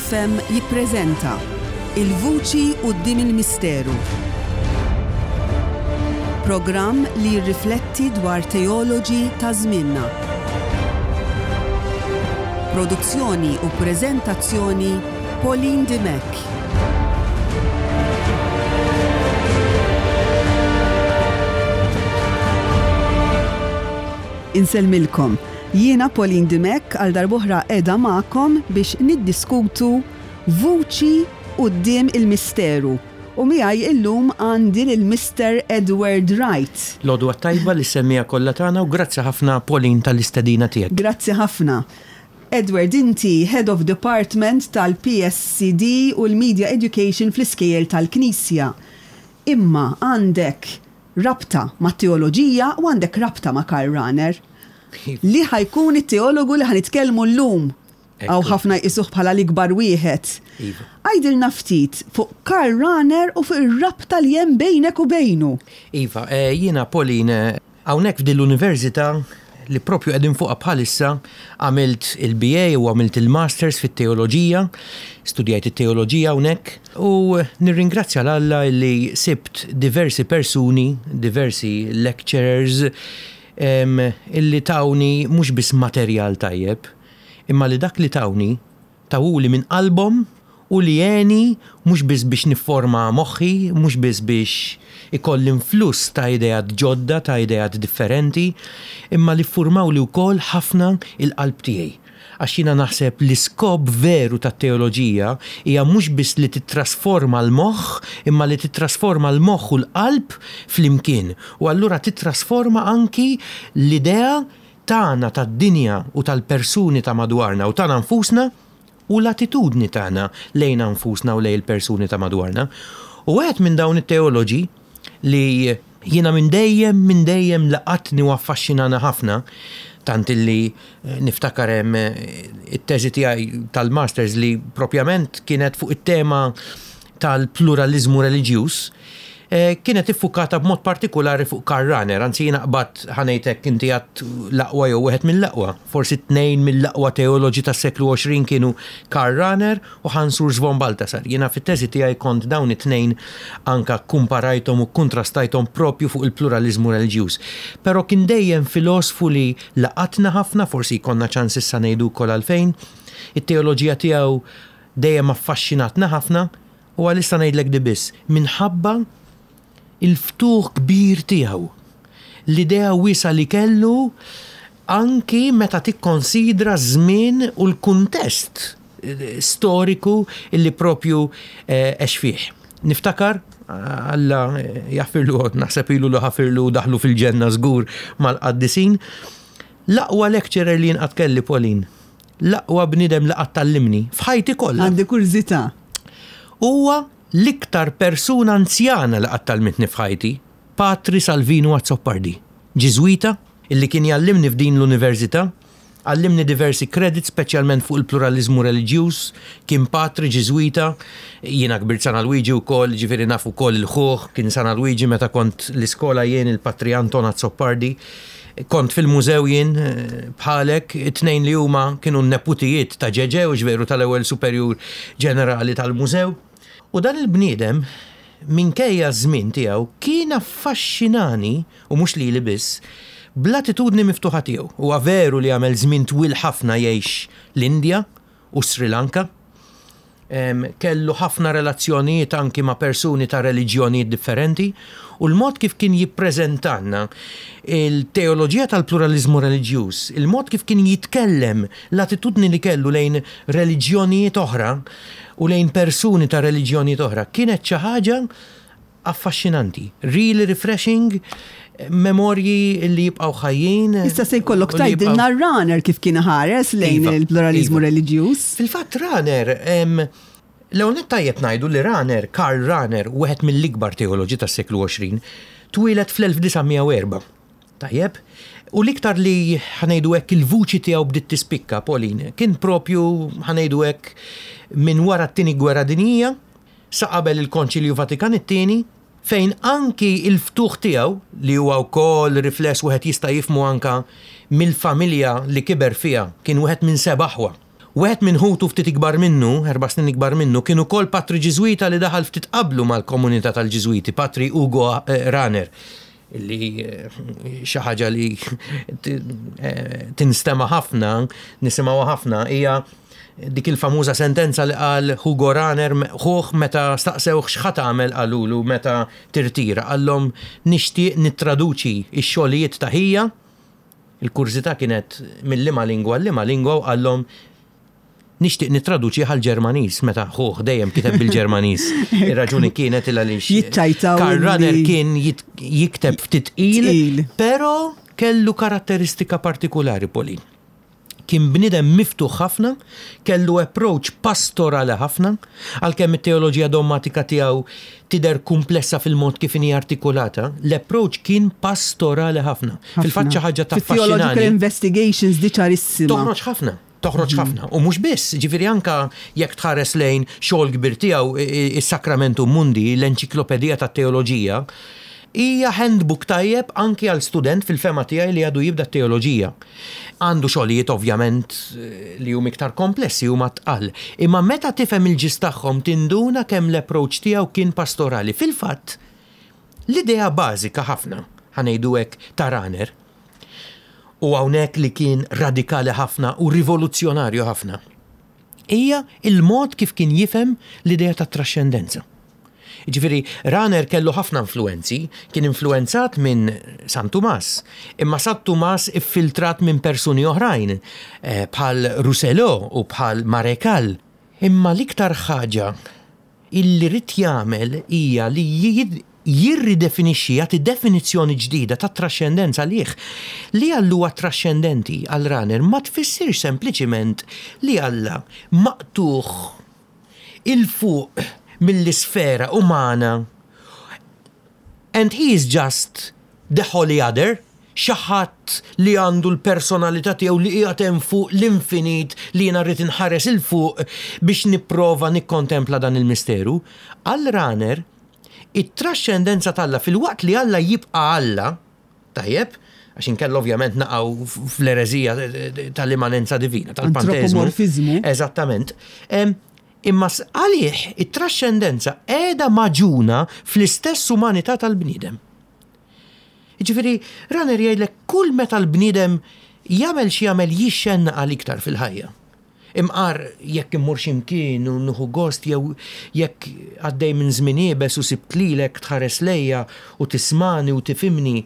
FM jippreżenta Il-Vuċi Quddiem il-Misteru. Programm li jirrifletti dwar teoloġi ta' żmienna. Produzzjoni u preżentazzjoni Pauline Dimech. Insellmilkom. Jiena Pauline Dimech għal darb'oħra qiegħda magħkom biex niddiskutu Vuċi Quddiem il-Misteru. U miegħi illum għandi lil Mister Edward Wright. L-għodwa t-tajba lis-semmiegħa kollha tagħna u grazzi ħafna Pauline tal-istedina tiegħek. Grazzi ħafna. Edward inti Head of Department tal-PSCD u l-Media Education fl-Iskejjel tal-Knisja. Imma għandek rabta mat-teoloġija u għandek rabta ma' Karl Rahner, li ħa jkun it-teologu li ħa nitkellmu llum. Hawn ħafna jqisuh bħala l-ikbar wieħed. Għidilna ftit fuq Karl Rahner u fuq ir-rabta li hemm bejnek u bejnu. Iva, jiena Pauline, Hawnhekk f'din l-università li propju qegħdin fuqha bħalissa għamilt il-BA u għamilt il-Masters fit-Teoloġija, studjajt it-teoloġija hawnhekk u nirringrazzja 'l Alla li sibt diversi persuni, diversi lecturers illi tawni mhux biss materjal tajjeb, imma li dak li tawni Tawhuli minn qalbhom u li għeni mhux biss biex nifforma moħħi, mhux biss biex ikolli influss ta' ideat ġodda, ta' ideat differenti, imma li ffurmawli wkoll ħafna il-qalb tiegħi. Għax jiena naħseb l-iskop veru tat-teoloġija hija mhux biss li tittrasforma l-moħħ, imma li tittrasforma l-moħħ u l-qalb flimkien. U allura tittrasforma anki l-idea tagħna tad-dinja u tal-persuni ta' madwarna u tagħna nfusna u l-attitudni tagħna lejna nfusna u lejn il-persuni ta' madwarna. U wieħed minn dawn it-teoloġi li jiena minn dejjem, minn dejjem laqatni u affaxxinana ħafna, tant illi niftakar hemm it-teżi tiegħi tal-masters li propjament kienet fuq it-tema tal-pluraliżmu reliġjuż, kienet iffukata b'mod partikulari fuq Karl Rahner, anzi jiena qbadt, ħa ngħid hekk, inti għedt l-aqwa jew wieħed mill-aqwa, forsi tnejn mill-aqwa teoloġi tas-seklu 20 kienu Karl Rahner u Hans Urs von Balthasar. Jiena fit-teżi tiegħi kont dawn it-tnejn anke kkumparajthom u kkuntrastajthom propju fuq il-pluraliżmu reliġjuż. Però kien dejjem filosfu li laqatna ħafna, forsi jkollna ċans issa ngħidu wkoll għalfejn. It-teoloġija tiegħu dejjem affaxxinatna ħafna u għalissa ngħidlek di biss, minħabba l-ftuħ kbir tiegħu, l-idea wiesgħa li kellu anki meta tikkonsidra ż-żmien u l-kuntest storiku li propju għex fih. Niftakar, Alla jaħfirlu, naħseb ilu li ħafirlu u daħlu fil-ġenna żgur mal-qaddisin, l-aqwa lecturer li jien qatt kelli, Pauline. L-aqwa bniedem li qatt għallimni, f'ħajti kollha. Għandi kurżità. Huwa l-iktar persuna anzjana li qatt għallmitni f'ħajti, Patri Salvinu Azzopardi, Ġiżwita, illi kien jgħallimni f'din l-università, għallimni diversi credits speċjalment fuq il-pluraliżmu reliġjuż, kien patri Ġiżwita, jiena kbirt San Alwiġi wkoll, jiġifieri naf ukoll il-ħuh, kien San Alwiġi meta kont l-iskola jien il-Patri Anton Azzopardi. Kont fil-mużew jien, bħalek, it-tnejn li huma kienu n-neputijiet ta' Ġeġe, hux veru, tal-ewwel superjur ġenerali tal-mużew. U dan il-bniedem, minkejja ż-żmien tiegħu, kien affaxxinani, u mhux lili biss, bl-attitudni miftuħa tiegħu. Huwa veru li għamel żmien twil ħafna jgħix l-Indja u s-Sri Lanka, Kellu ħafna relazzjonijiet anki ma' persuni ta' reliġjonijiet differenti u l-mod kif kien jippreżentalna il-teoloġija tal-pluraliżmu reliġjuż, il-mod kif kien jitkellem, l-attitudni li kellu lejn reliġjonijiet oħra u lejn persuni ta' reliġjonijiet oħra kienet xi ħaġa affaxxinanti, really refreshing, memorji li jibqgħu ħajjin. Issa se jkollok tgħidilna Rahner kif kien iħares lejn iva, il-pluraliżmu iva. reliġjuż. Fil-fatt Rahner, l-ewwel nett tajjeb ngħidu li Rahner, Karl Rahner, wieħed mill-ikbar teoloġi tas-seklu 20, twieled fl-1904. Tajjeb, u l-iktar li ħa ngħidu hekk il-vuċi tiegħu bdiet tispikka, Pauline, kien propju ħa ngħidu hekk minn wara t-Tieni Gwerra Dinjija, sa qabel il-Konċilju Vatikan it-Tieni, fejn anki l-ftuħ tiegħu, li huwa wkoll rifless wieħed jista' jifhmu anka mill-familja li kiber fiha, kien wieħed minn seba' aħwa. Wieħed minn ħutu ftit ikbar minnu, erba' snin ikbar minnu, kien ukoll patri Ġiżwita li daħal ftit qablu mal-komunità tal-Ġiżwiti, Patri Ugo Rahner, li xi ħaġa li tinstema' ħafna, nisimgħuha ħafna, hija dik il-famuża sentenza li qal Hugo Rahner ħuh meta staqsewh x'ħa tagħmel qalulu meta tirtira, qallhom nixtieq nittraduċi x-xogħlijiet ta' ħija. Il-kurżità kienet minn liema lingwa għal liema lingwa u qallhom nixtieq nittraduċih għall-Ġermaniż meta ħuh dejjem kiteb bil-Ġermaniż. Ir-raġuni kienet il għaliex Jiċċajtaw Karl Rahner illi- kien jit- jikteb ftit tqil, Tqil. però kellu karatteristika partikulari Pauline. Kien bniedem miftuħ ħafna, kellu approach pastorali ħafna, għalkemm it-teoloġija dommatika tiegħu tidher kumplessa fil-mod kif inhi artikulata, l-approach kien pastorali ħafna. Fil-fatt xi ħaġa Fit-theological taffaxxinani. investigations di ċarissima. Toħroġ ħafna, toħroġ ħafna. U mhux biss, ġifieri anka jekk tħares lejn xogħol kbir tiegħu is-Sacramentum Mundi, l-enċiklopedija tat-teoloġija, hija handbook tajjeb anki għal student fil-fema tiegħi li għadu jibda t-teoloġija. Għandu xogħlijiet ovvjament li huma iktar komplessi huma tqal. Imma meta tifhem il-ġis tagħhom tinduna kemm l-approach tiegħu kien pastorali. Fil-fatt, l-idea bażika ħafna, ħa ngħidu hekk, ta' Rahner, u hawnhekk li kien radikali ħafna u rivoluzzjonarju ħafna, hija il-mod kif kien jifhem l-idea ta' trascendenza. Ġifieri, Rahner kellu ħafna influenzi, kien influenzat minn San Tumas, imma San Tumas iffiltrat minn persuni oħrajn, bħal Rousselot u bħal Marécal. Imma l-iktar ħaġa illi ried jagħmel hija li jirridefinixxi, jagħti definizzjoni ġdida ta' trascendenza għalih. Li Alla huwa trascendenti għal Rahner ma tfissirx sempliċiment li Alla maqtuħ il-fuq mill-isfera umana and he is just the holy other, xi ħadd li għandu l-personalità tiegħu li qiegħed hemm fuq l-infinit li jiena rrid inħares il fuq biex nipprova nikkontempla dan il-misteru. Għal Rahner, it-trascendenza t'Alla fil-waqt li Alla jibqa' Alla, tajjeb, għax inkella ovvjament naqgħu fl-ereżija tal-immanenza divina, tal-panteizmu. Antropomorfizmu. Eżattament. Imma għalih it-trascendenza qiegħda maġuna fl-istess umanità tal-bniedem. Jiġifieri, Rahner jgħidlek kull meta l-bniedem jagħmel xi jagħmel jixxenna għal iktar fil-ħajja. Imqar jekk immur x'imkien u nieħu gost jew jekk għaddej minn żmien iebes u sibt lilek tħares lejja u tismani u tifhimni.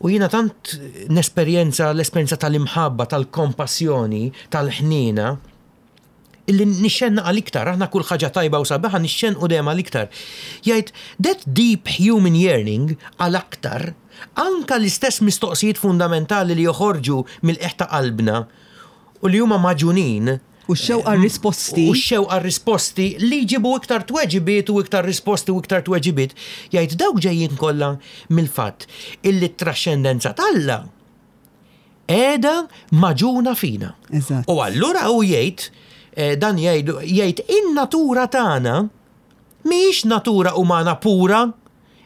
U jiena tant nesperjenza l-esperjenza tal-imħabba, tal-kompassjoni, tal-ħniena, illi nixxenna għal iktar, aħna kull ħaġa tajba u sabiħa nixxenqu dejjem għal iktar. Jgħid, that deep human yearning għal aktar, anka l-istess mistoqsijiet fundamentali li joħorġu mill-qiegħ ta' qalbna u li huma maġunin. U x-xewqa risposti. U x-xewqa risposti li jġibu iktar tweġibiet u iktar risposti u iktar tweġibiet. Jgħid dawk ġejjin kollha mill-fatt illi t-trascendenza t'Alla qiegħda maġuna fina. U allura hu jgħid, dan jgħid in-natura tagħna mhijiex natura umana pura.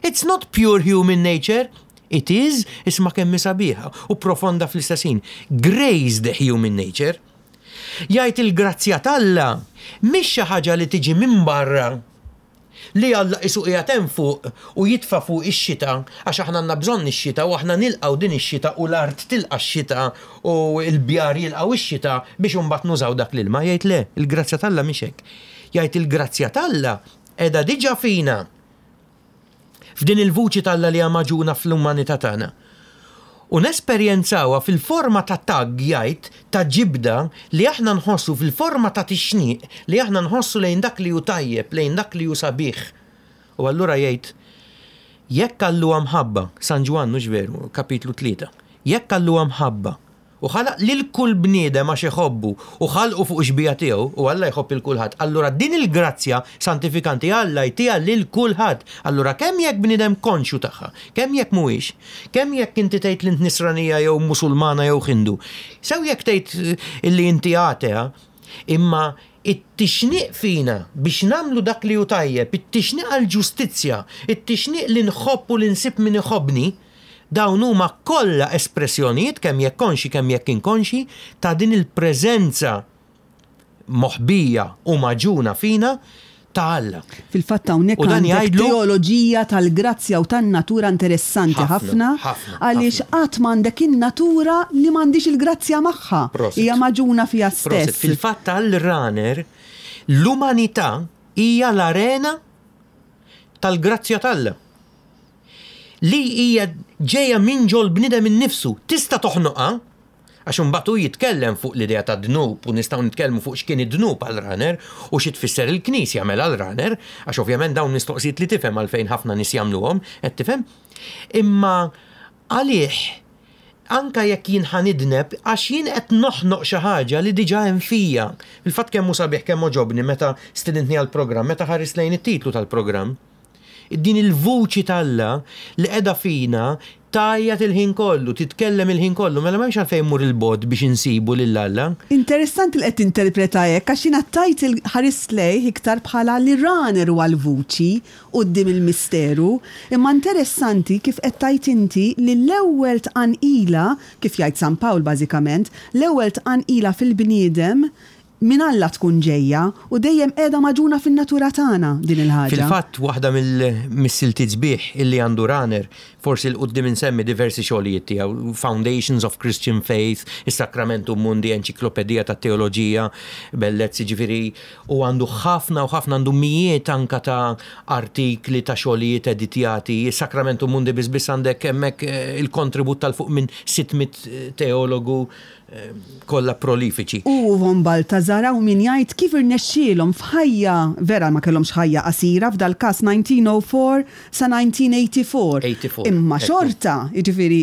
It's not pure human nature. It is, isma' kemm sabiħa u profonda fl-istess ħin, grazed human nature. Jgħid il-grazzja t'Alla mhix xi ħaġa li tiġi minn barra li Alla qisu qiegħed hemm fuq u jitfa' fuq ix-xita għax aħna għandna bżonn ix-xita u aħna nilqgħu din ix-xita u l-art tilqa' x-xita u l-bjar jilqgħu ix-xita biex imbagħad nużaw dak l-ilma. Jgħid le, il-grazzja t'Alla mhix hekk. Jgħid il-grazzja t'Alla qiegħda diġà fina. F'din il-vuċi t'Alla li hija maġuna fl-umanità tagħna. U nesperjenzawha fil-forma ta' tag, jgħid, ta' ġibda li aħna nħossu fil-forma ta' tixniq li aħna nħossu lejn dak li hu tajjeb, lejn dak li hu sabiħ. U allura jgħid, jekk Alla huwa mħabba, San Ġwann mhux veru, kapitlu 3, jekk Alla huwa mħabba u ħalaq lil kull bniedem għax iħobbu u ħalqu fuq xbija tiegħu u Alla jħobb il kulħadd, allura din il-grazzja santifikanti Alla jtiha lil kulħadd. Allura kemm jekk bniedem konxju tagħha, kemm jekk mhuwiex, kemm jekk inti tgħid li int Nisranija jew Musulmana jew Hindu, sew jekk tgħid illi inti atea, imma it-tixniq fina biex nagħmlu dak li hu tajjeb, it-tixniq għall-ġustizzja, it-tixniq li nħobb u li nsib min iħobbni, dawn huma kollha espressjonijiet kemm jekk konxi kemm jekk inkonxi ta' din il-preżenza. moħbija u magħġuna fina ta' Alla. Fil-fatt hawnhekk U dan għandek jgħidlu teoloġija tal-grazzja u tan-natura interessanti Ħafna, ħafna ħafna, għaliex ħafna. qatt m'għandek in-natura li m'għandix il-grazzja magħha. Prosit. Hija magħġuna fiha Prosit. stess. Fil-fatt għal Rahner l-umanità hija l-arena tal-grazzja t'Alla. Li hija ġejja minn ġol bniedem innifsu. Tista' toħnoqha, għax imbagħad hu jitkellem fuq l-idea ta' dnub u nistgħu nitkellmu fuq x'kien id-dnub għal Rahner u xi tfisser il-Knisja mela għal Rahner, għax ovvjament dawn mistoqsijiet li tifhem għalfejn ħafna nies jagħmluhom, qed tifhem? Imma għalih anka jekk jien ħa nidneb, għax jien qed noħnoq xi ħaġa li diġà hemm fija. Fil-fatt kemm hu sabiħ kemm għoġobni meta stidintni għall-programm, meta ħares lejn it-titlu tal-programm. Din il-vuċi t'Alla li qiegħda fina tgħajjat il-ħin kollu, titkellem il-ħin kollu, mela m'hemmx għalfejn mmur il-bogħod biex insibu lil Alla. Interessanti li qed tinterpreta hekk għax jiena tajt il-ħares lejh iktar bħala li Rahner huwa l-vuċi quddiem il-misteru, imma interessanti kif qed tajt inti li l-ewwel tqanqila, kif jgħid San Pawl bażikament, l-ewwel tqanqila fil-bniedem minn Alla tkun ġejja u dejjem qiegħda magħġuna fin-natura tagħna din il-ħaġa. Fil-fatt waħda mill-siltiet sbieħ illi għandu Rahner, forsi 'l quddiem insemmi diversi xogħlijiet tiegħu, Foundations of Christian Faith, is-Sacramentum Mundi, Enċiklopedija tat-Teoloġija, bellezzi ġifieri, u għandu ħafna u ħafna, għandu mijiet anka ta' artikli ta' xogħlijiet editjati. Is-Sacramentum Mundi biss biss għandek hemmhekk il-kontribut tal-fuq minn 600 teologu kollha prolifiċi. U von Balthasar hawn min jgħid kif irnexxielhom f'ħajja, vera ma kellhomx ħajja qasira, f'dal-każ 1904 sa 1984. 84, Imma ekku. xorta, jiġifieri,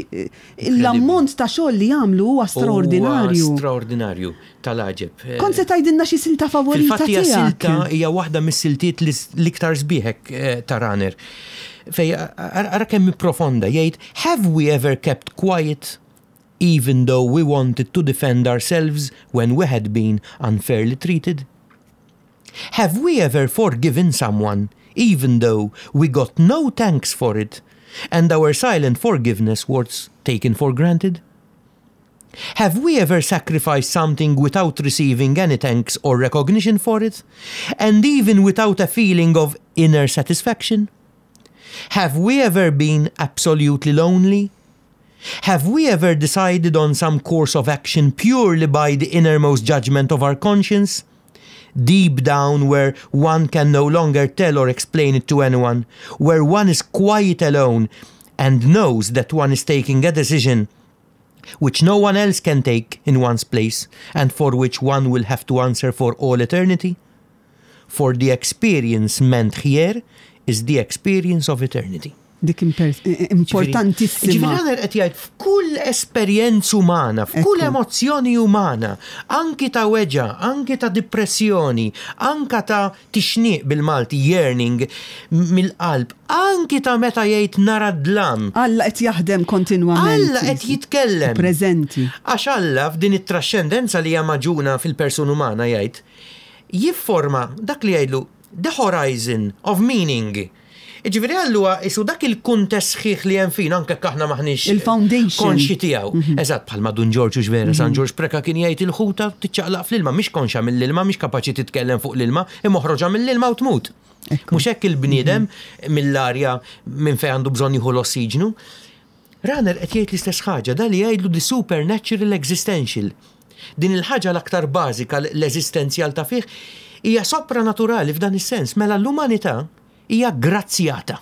l-ammont ta' xogħol li jagħmlu huwa straordinarju. Huwa straordinarju, tal-għaġeb. Kont se tgħidilna xi silta favorita Fil-fatt hija tiegħek? silta hija waħda mis-siltiet l-iktar sbieħek ta' Rahner. Fej ara kemm hi profonda jgħid, have we ever kept quiet even though we wanted to defend ourselves when we had been unfairly treated? Have we ever forgiven someone even though we got no thanks for it and our silent forgiveness was taken for granted? Have we ever sacrificed something without receiving any thanks or recognition for it, and even without a feeling of inner satisfaction? Have we ever been absolutely lonely? Have we ever decided on some course of action purely by the innermost judgment of our conscience? Deep down where one can no longer tell or explain it to anyone, where one is quite alone and knows that one is taking a decision which no one else can take in one's place and for which one will have to answer for all eternity? For the experience meant here is the experience of eternity. Dik importantissima. Ġifieri Rahner qed jgħid f'kull esperjenza umana, f'kull emozzjoni umana, anki ta' weġgħa, anki ta' depressjoni, anka ta' tixniq bil-Malti, yearning mill-qalb, anki ta' meta jgħid nara dlam. Alla qed jaħdem kontinwament. Alla qed jitkellem. Preżenti. Għax Alla f'din it-trascendenza li hija magħġuna fil-persuna umana jgħid, jifforma dak li jgħidlu the horizon of meaning. Ġifieri għallu isu dak il-kuntest sħiħ li hemm fina anke aħna maħniex Il-foundation. konxi tiegħu. Eżatt bħalma Dun Ġorġ u vera San Ġorġ Preka kien jgħid il-ħuta tiċċaqlaq fl-ilma, mhix konxa mill-ilma, mhix kapaċi titkellem fuq l-ilma, imma oħroġha mill-ilma u tmut. Mhux hekk il-bniedem mill-arja minn fejn għandu bżonn jieħu l-ossiġnu. Rahner qed jgħid l-istess ħaġa, da li jgħidlu the supernatural existential. Din il-ħaġa l-aktar bażika l-eżistenzjal ta' fih hija sopranaturali f'dan is-sens, mela l-umanità hija grazzjata.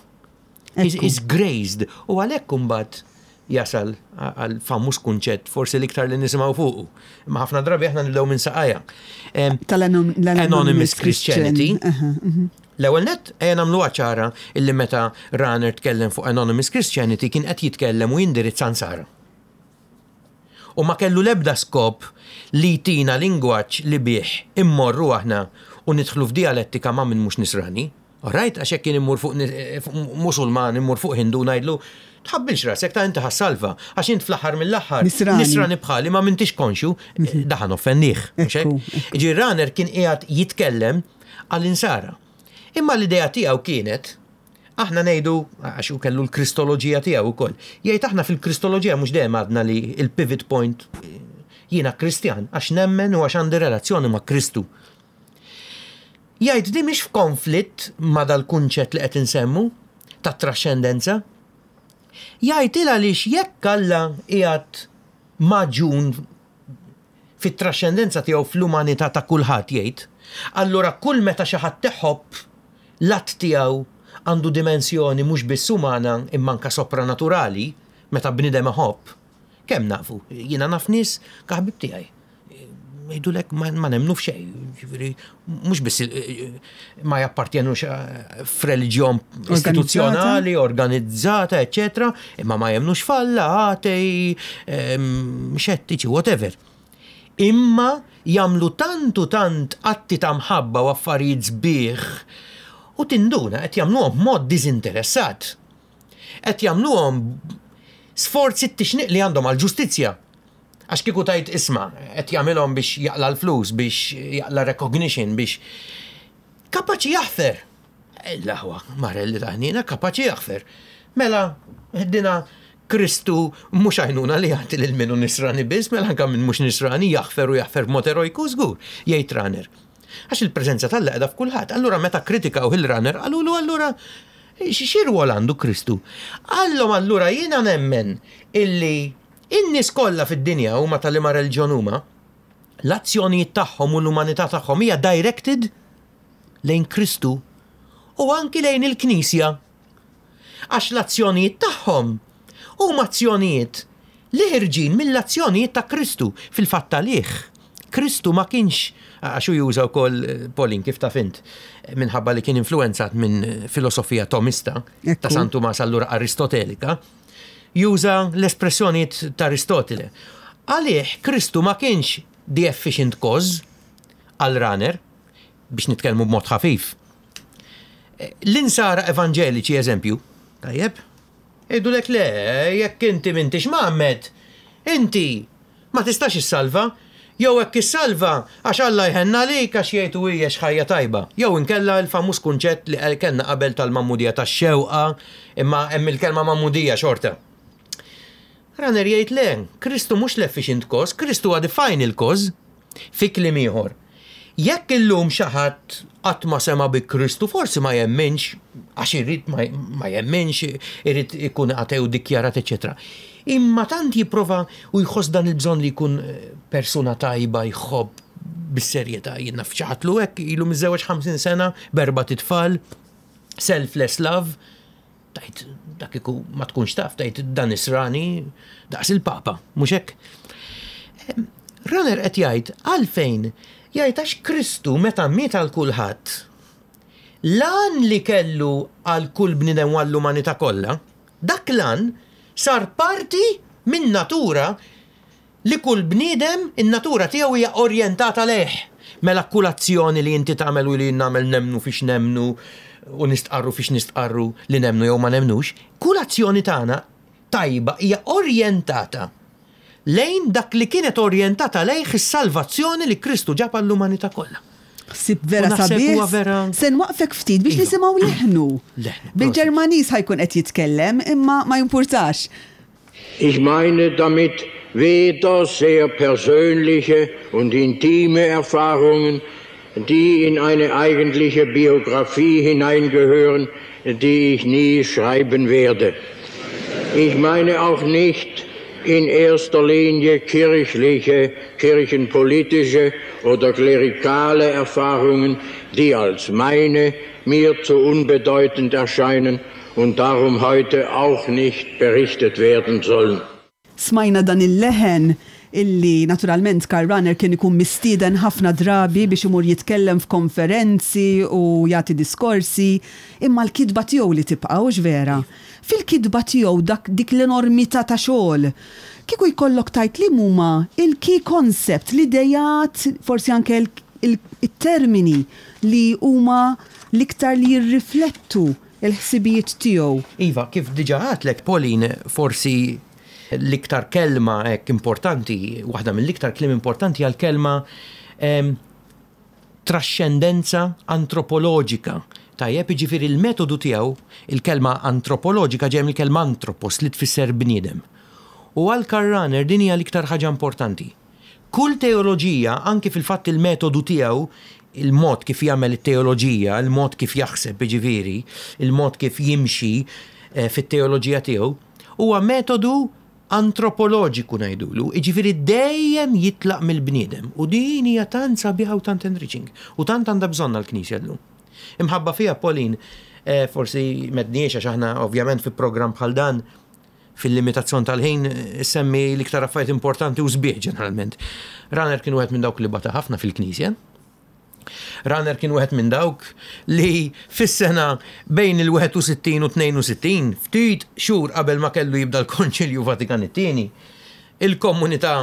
Is graced. U għalhekk imbagħad jasal għal famuż kunċett forsi l-iktar li nisimgħu fuqu. Ma ħafna drabi aħna nibdew minn saqajja. Tal-Anonymous Anonymous Christianity. Christian. L-ewwel net ejja nagħmluha ċara illi meta Rahner tkellem fuq Anonymous Christianity kien qed jitkellem u jindirizza Nsara. U ma kellu l-ebda skop li jtina lingwaġġ li bih immorru aħna u nidħlu f'dialettika ma' min mhux nisrani. Alright, għax hekk kien immur fuq Musulman, immur fuq Hindu ngħidlu tħabbilx rasek ta' inti ħa ssalva, għax int fl-aħħar mill-aħħar Nisrani. nisrani bħali ma m'intix konxju, daħan offendih. Mhux hekk? Ġi Rahner kien qiegħed jitkellem għall-insara. Imma l-idea tiegħu kienet, aħna ngħidu, għax hu kellu l-kristoloġija tiegħu wkoll, jgħid aħna fil-kristoloġija mhux dejjem għadna li il-pivot point jiena Kristjan għax nemmen u għax għandi relazzjoni ma' Kristu. Jgħid di mhix f'konflitt ma' dal-kunċett li qed insemmu tat-traxxendenza. Jgħid il għaliex jekk Alla qiegħed magħġun fit-traxxendenza tiegħu fl-umanità ta' kulħadd jgħid, allura kull meta xi ħadd iħobb, l-att tiegħu għandu dimensjoni mhux biss umana imma anke sopranaturali, meta bniedem iħobb. Kemm nafu? Jiena naf nies ka ħbieb tiegħi. Jgħidulek ma nemmnu f'xejn, ġifieri mhux biss ma jappartjenux f'reliġjon istituzzjonali, organizzata, eċċetera, imma ma jemmnux f'Alla, atei, xettiċi, whatever. Imma jagħmlu tant u tant atti ta' mħabba u affarijiet sbieħ u tinduna qed jagħmluhom b'mod diżinteressat. Qed jagħmluhom sforzi t-tixniq li għandhom għall-ġustizzja. Għax kieku tgħid isma' qed jagħmilhom biex jaqla' l-flus, biex jaqla' recognition, biex kapaċi jaħfer. L-aħwa, Marelli ta' ħniena, kapaċi jaħfer. Mela, dina Kristu mhux għajnuna li jagħti lil min hu nisrani biss, mela anke min mhux nisrani jaħfer u jaħfer b'mod erojku żgur, jgħid Rahner. Għax il-preżenza t'Alla qiegħda f'kulħadd. Allura meta kkritikaw il-Rahner qalulu allura xi rwol għandu Kristu? Qallhom allura jiena nemmen illi in-nies kollha fid-dinja huma ta' liema reliġjon huma, l-azzjonijiet tagħhom u l-umanità tagħhom hija directed lejn Kristu u anki lejn il-Knisja. Għax l-azzjonijiet tagħhom huma azzjonijiet li ħirġin mill-azzjonijiet ta' Kristu. Fil-fatt għalih, Kristu ma kienx, għax hu juża wkoll, Pauline, kif taf int, minħabba li kien influwenzat minn filosofija Tomista, ta' San Tumas allura Aristotelika, juża l-espressjonijiet ta' Aristotile. Għalih Kristu ma kienx the efficient cause għal Rahner, biex nitkellmu b'mod ħafif. L-insara evanġeliċi, eżempju, tajjeb, jgħidulek le, jekk inti m'intix mgħammed, inti ma tistax issalva, jew hekk issalva għax Alla jħenn għalik għax jgħid hu għex ħajja tajba. Jew inkella l-famuż kunċett li kellna qabel tal-magħmudija tax-xewqa, imma hemm il-kelma magħmudija xorta. Rahner jgħid le, Kristu mhux l-efficient cause, Kristu huwa the final cause. Fi kliem ieħor, jekk illum xi ħadd qatt ma sema' bi Kristu, forsi ma jemminx, għax irid ma jemminx, irid ikun ateu dikjarat, eċċetera. Imma tant jipprova u jħoss dan il-bżonn li jkun persuna tajba, jħobb bis-serjetà. Jien naf xi ħadd lu hekk ilu miżżewweġ 50 sena b'erbat itfal, selfless love, Tgħid dak kieku ma tkunx taf, tgħid dan nisrani daqs il-Papa, mhux hekk? Rahner qed jgħid għalfejn? Jgħid għax Kristu meta miet għal kulħadd, l-għan li kellu għal kull bniedem u għall-umanità kollha, dak l-għan sar parti min-natura Li kull bniedem in-natura tiegħu hija orjentata lejh. Mela kull azzjoni li inti tagħmel u li jien nagħmel nemmnu fiex nemmnu u nistqarru fiex nistqarru li nemmnu jew ma nemmnux, kull azzjoni tagħna tajba hija orjentata lejn dak li kienet orjentata lejh is-salvazzjoni li Kristu ġab għall-umanità kollha. Ħsieb vera sabiħ. Se nwaqfek ftit biex nisimgħu leħnu. Bil-Ġermaniż ħa jkun qed jitkellem imma ma jimpurtax. Ich meine damit weder sehr persönliche und intime Erfahrungen, die in eine eigentliche Biografie hineingehören, die ich nie schreiben werde. Ich meine auch nicht in erster Linie kirchliche, kirchenpolitische oder klerikale Erfahrungen, die als meine mir zu unbedeutend erscheinen und darum heute auch nicht berichtet werden sollen. Smajna dan il-leħen illi naturalment Karl Rahner kien ikun mistieden ħafna drabi biex imur jitkellem f'konferenzi u jagħti diskorsi, imma l-kitba tiegħu li tibqa' hux vera? Fil-kitba tiegħu dak dik l-enormità ta' xogħol, kieku jkollok tgħid liem huma il-key concept, l-ideat, forsi anke it-termini li huma l-iktar li jirriflettu l-ħsibijiet tiegħu. Iva, kif diġà għedtlek, Pauline, forsi l-iktar kelma hekk importanti, waħda mill-iktar kliem importanti hija l-kelma traxxendenza antropoloġika. Tajjeb, jiġifieri l-metodu tiegħu, il-kelma antropoloġika ġejja mill-kelma anthropos li tfisser bniedem. U għal Karl Rahner din hija l-iktar ħaġa importanti. Kull teoloġija, anki fil-fatt il-metodu tiegħu, il-mod kif jagħmel it-teoloġija, il-mod kif jaħseb jiġifieri, il-mod kif jimxi fit-teoloġija tiegħu, huwa metodu antropoloġiku ngħidulu, jiġifieri dejjem jitlaq mill-bniedem. U din hija tant sabiħa u tant enriching u tant għandha bżonnha l-Knisja llum. Imħabba fiha Pauline, forsi m'għedniex għax aħna ovvjament fi programm bħal dan fil-limitazzjon tal-ħin semmi l-iktar affarijiet importanti u sbieħ ġeneralment. Rahner kien wieħed minn dawk li bata ħafna fil-Knisja. Rahner kien wieħed minn dawk li fis-sena bejn il-61 u 62, ftit xhur qabel ma kellu jibda l-Konċilju Vatikan it-Tieni, il-komunità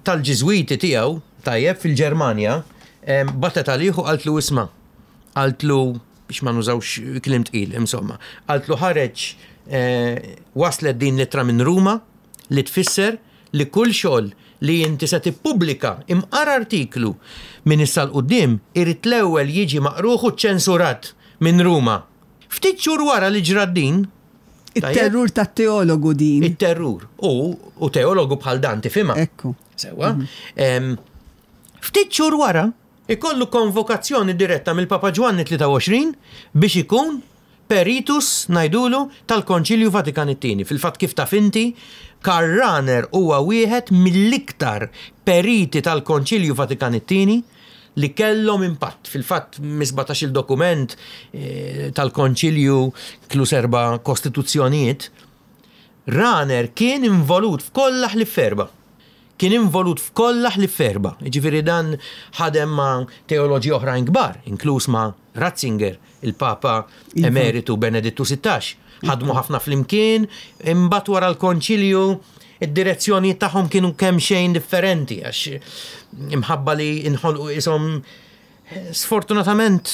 tal-Ġiżwiti tiegħu, tajjeb, fil-Ġermanja, batet għalih u qaltlu isma', qaltlu biex ma nużawx kliem tqil, insomma, qaltlu ħareġ waslet din l-ittra minn Ruma li tfisser li kull xogħol li inti se tippubblika imqar artiklu minn issa 'l quddiem irid l-ewwel jiġi maqrugħ u ċċensurat minn Ruma. Ftit xhur wara li ġrat din, It-terrur tat-teologu din. It-terrur. U, u teologu bħal dan tifhimha. Ekku. Sewwa. Ftit xhur wara, ikollu konvokazzjoni diretta mill-Papa Ġwanni 23 biex ikun Peritus, ngħidulu, tal-Konċilju Vatikan it-Tieni. Fil-fatt kif taf inti, Karl Rahner huwa wieħed mill-iktar periti tal-Konċilju Vatikan it-Tieni li kellhom impatt. Fil-fatt mis-sbatax-il dokument tal-Konċilju, inkluż erba' kostituzzjonijiet, Rahner kien involut f'kollha ħlief f'erba'. Kien involut f'kollha ħlief f'erba'. Jiġifieri dan ħadem ma' teoloġi oħrajn kbar, inkluż ma' Ratzinger, il-Papa Emeritu Benedittu 16. Ħadmu ħafna flimkien, imbagħad wara l-Konċilju id-direzzjonijiet tagħhom kienu kemxejn differenti għax imħabba li inħolqu qishom Sfortunatament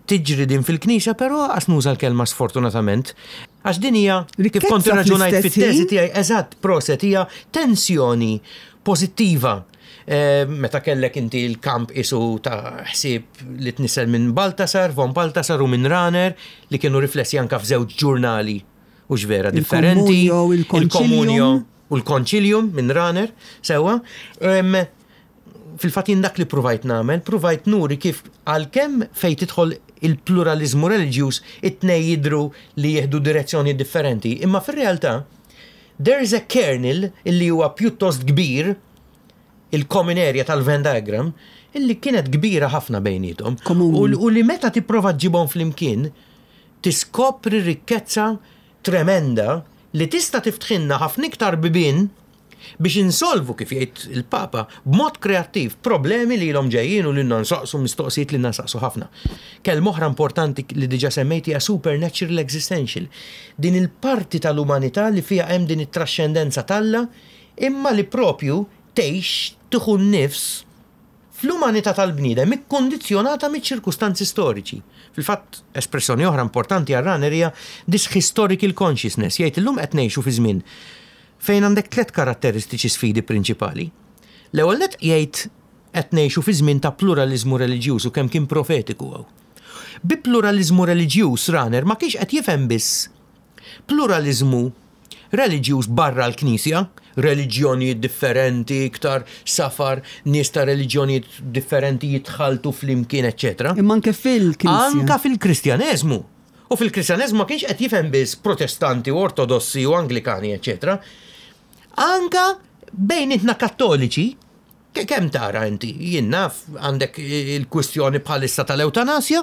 tiġri din fil-Knisja, però għas nuża l-kelma sfortunatament, għax din hija kif kont irraġunajt fit-teżi tiegħi eżatt proset hija tensjoni pożittiva. Eh, meta kellek inti l-kamp isu ta' ħsieb li tnissel minn Baltasar, von Baltasar u minn Rahner li kienu riflessi anka f'żewġ ġurnali u vera differenti. Il-Komunio u l-Konċilium minn Rahner, sewwa. Fil-fatt jien dak li pruvajt nagħmel, pruvajt nuri kif għalkemm fejn tidħol il-pluraliżmu reliġjuż it-tnejn jidhru li jieħdu direzzjonijiet differenti, imma fir-realtà there is a kernel illi huwa pjuttost kbir, il-common area tal-Venn diagram, illi kienet kbira ħafna bejniethom. U li meta tipprova ġġibhom flimkien tiskopri rikkezza tremenda li tista' tiftħilna ħafna iktar bibien biex insolvu, kif jgħid il-Papa, b'mod kreattiv, problemi li ilhom ġejjin u li ilna nsaqsu mistoqsijiet li ilna nsaqsu ħafna. Kelma oħra importanti li diġà semmejt hija supernatural existential. Din il-parti tal-umanità li fiha hemm din it-traxxendenza t'Alla imma li propju tgħix, tieħu n-nifs fl-umanità tal-bniedem ikkundizzjonata miċ-ċirkustanzi storiċi. Fil-fatt, espressjoni oħra importanti għal Rahner hija this historical consciousness, jgħid illum qed ngħixu fi żmien fejn għandek tlett karatteristiċi sfidi prinċipali. L-ewwel nett jgħid qed ngħixu fi żmien ta' pluraliżmu reliġjuż u kemm kien profetiku hawn. Bi pluraliżmu reliġjuż Rahner ma kienx qed jifhem biss pluraliżmu reliġjuż barra l-Knisja, reliġjonijiet differenti, iktar safar, nies ta' reliġjonijiet differenti jitħalltu flimkien, eċċetera. Imma anke fil-Knisja. Anke fil-Kristjaneżmu. U fil-Kristjaneżmu ma kienx qed jifhem biss Protestanti u Ortodossi u Anglikani, eċċetera. Anke bejnietna Kattoliċi, kemm tara inti, jien naf għandek il-kwistjoni bħalissa tal-ewtanasja,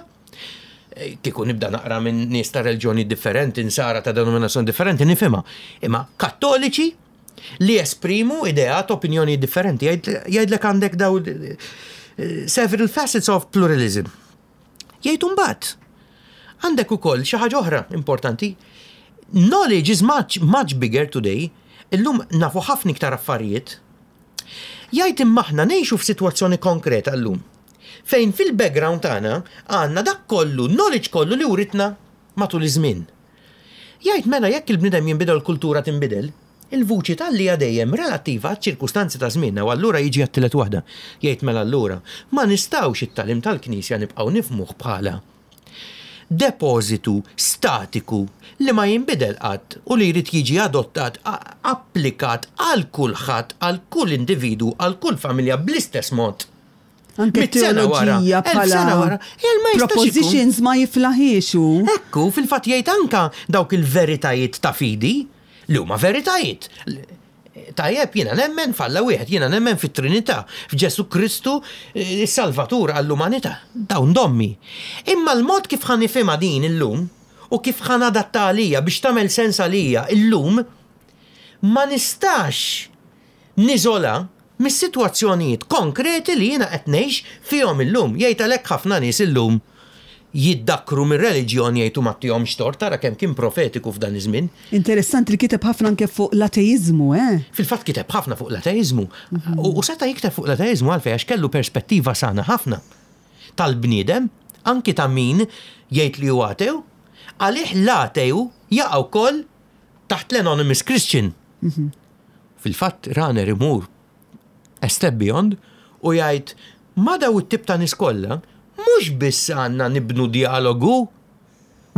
kieku nibda naqra minn nies ta' reliġjoni differenti, nsara ta' denominazzjoni differenti, nifhimha. Imma Kattoliċi li jesprimu ideat, opinjoni differenti, jgħidlek għandek daw several facets of pluralism. Jgħid imbagħad għandek ukoll xi ħaġa oħra importanti. Knowledge is much, much bigger today. Illum nafu ħafna iktar affarijiet. Jgħid imma aħna ngħixu f'sitwazzjoni konkreta llum. Fejn fil-background tagħna għandna dak kollu, knowledge kollu li writna matul iż-żmien. Jgħid mela jekk il-bniedem jinbidel l-kultura tinbidel, il-vuċi t'Alla hija dejjem relattiva għaċ-ċirkustanzi ta' żmienna u allura jiġi għat-tielet waħda. Jgħid mela allura ma nistgħux it-tagħlim tal-Knisja nibqgħu nifhmuh bħala depożitu statiku li ma jinbidel qatt u li jrid jiġi adottat, applikat għal kulħadd, għal kull individwu, għal kull familja bl-istess mod. Anke teoloġija bħala propositions ma jiflaħiex hu. Ekku, fil-fatt jgħid anka dawk il-veritajiet ta' fidi li huma veritajiet. Tajjeb, jiena nemmen f'Alla wieħed, jiena nemmen fit-Trinità, f'Ġesù Kristu is-Salvatur għall-umanità. Dawn dommi. Imma l-mod kif ħa nifhimha din illum u kif ħa nadattha għalija biex tagħmel sens għalija illum, ma nistax niżola mis-sitwazzjonijiet konkreti li jiena qed ngħix fihom illum. Jgħid għalhekk ħafna nies illum jiddakkru mir-reliġjon jgħid u ma ttihomx tort, ara kemm kien profetiku f'dan iż-żmien. Interessanti li kiteb ħafna anke fuq l-ateiżmu, eh? Fil-fatt kiteb ħafna fuq l-ateiżmu. U seta' jikteb fuq l-ateiżmu għalfejn għax kellu perspettiva sana ħafna tal-bniedem, anki ta' min jgħid li hu ateu, għalih l-ateu jaqa' wkoll taħt l-anonymous Christian. Fil-fatt Rahner imur a step beyond u jgħid ma' daw it-tip ta' nies kollha mhux biss għandna nibnu djalogu,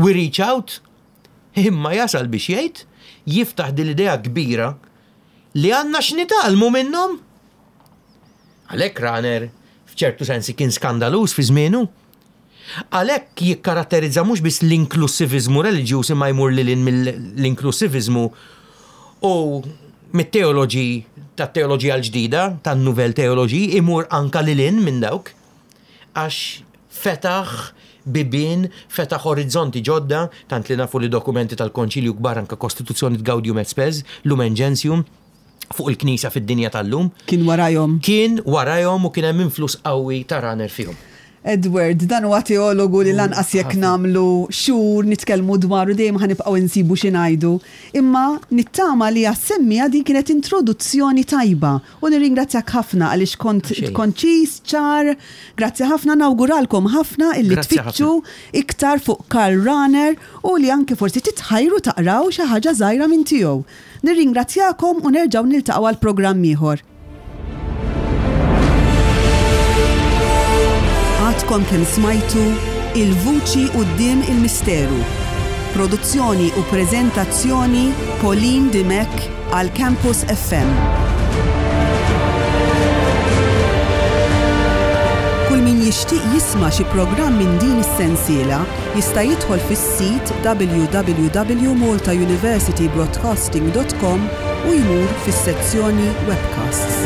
we reach out, imma jasal biex jgħid, jiftaħ din l-idea kbira li għandna x'nitgħallmu minnhom. Għalhekk Rahner f'ċertu sensi kien skandaluż fi żmienu. Għalhekk jikkaratterizza mhux biss l-inklussiviżmu reliġjuż imma jmur lil hinn mill-inklussiviżmu u mit-teoloġi tat-teoloġija l-ġdida, tan-nouvelle théologie, imur anka lil hinn minn dawk għax fetaħ bibien, fetaħ orizzonti ġodda, tant li nafu li dokumenti tal-Konċilju kbar anka Kostituzzjoni Gaudium et Spes, Lumen Gentium, fuq il-Knisja fid-dinja tal-lum. Kien warajhom. Kien warajhom u kien hemm influss qawwi ta' Rahner fihom. Edward, dan huwa teologu li lanqas jekk nagħmlu xhur nitkellmu dwaru dejjem ħa nibqgħu insibu xi ngħidu. Imma nittama li għas-semmiegħa din kienet introduzzjoni tajba u nirringrazzjak ħafna għaliex kont konċiż, ċar. Grazzi ħafna, nawguralkom ħafna illi tfittxu iktar fuq Karl Rahner u li anke forsi titħajru taqraw xi ħaġa żgħira minn tiegħu. Nirringrazzjakom u nerġgħu niltaqgħu għal programm ieħor. Għadkom kemm smajtu Il-Vuċi Quddiem il-Misteru. Produzzjoni u preżentazzjoni Pauline Dimech għal Campus FM. Kull min jixtieq jisma' xi programm minn din is-sensiela jista' jidħol fis-sit www.maltauniversitybroadcasting.com u jmur fis-sezzjoni Webcasts.